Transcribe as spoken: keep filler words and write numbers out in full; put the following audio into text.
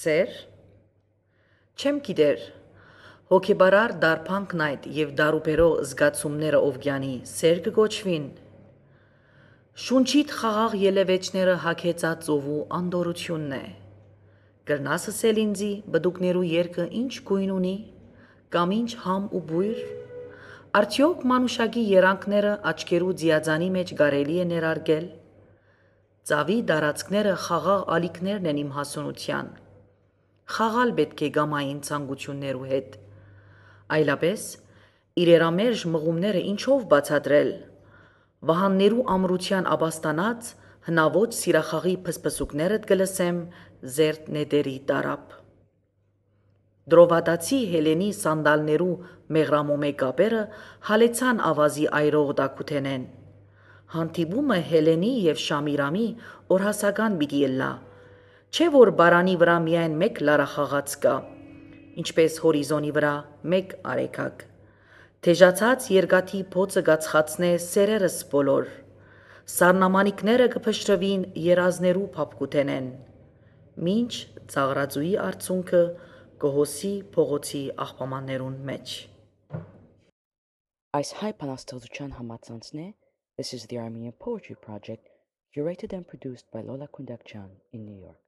Սեր, չեմ գիտեր, հոգեբարար դարբանքն այդ և դարուբերող զգացումները ովգյանի սեր կգոչվին, շունչիդ խաղաղ ելևեջները հագեցած ծովու անդորությունն է, կրնաս ասել ինձի բդուկներու երկը ինչ գույն ունի, կամ ինչ համ ու բույր, արդյոք մանուշակի երանքները աչքերու ձիածանի մեջ կարելի է ներարգել, ծավի դարածքները խաղաղ ալիքներն են իմ հասունության, խաղալ պետք է գամային ցանկություններու հետ, այլապես իրերամերժ մղումները ինչով բացատրել, վահաններու ամրության աբաստանած հնաոճ սիրախաղի փսփսուկներդ կլսեմ զերդ նետերի տարապ։ Դրովադացի Հելենի սանդալներու մեղրամոմե կապերը հալեցան ավազի այրող դակութենեն, հանդիպումը Հելենի և Շամիրամի օրհասական պիտի ըլլա, չէ որ բարանի վրա միայն մեկ լարախաղաց կա, ինչպես հորիզոնի վրա մեկ արեգակ, թեժացած երկաթի բոցը կացխացնե սերերս բոլոր, սառնամանիքները կփշրվին երազներու փափկութենեն, մինչ ծաղրածուի արցունքը կհոսի փողոցի աղբամաններուն մեջ։ Այս հայ բանաստեղծության համացանցն է This is the Armenian Poetry Project, curated and produced by Lola Kundakjian in New York.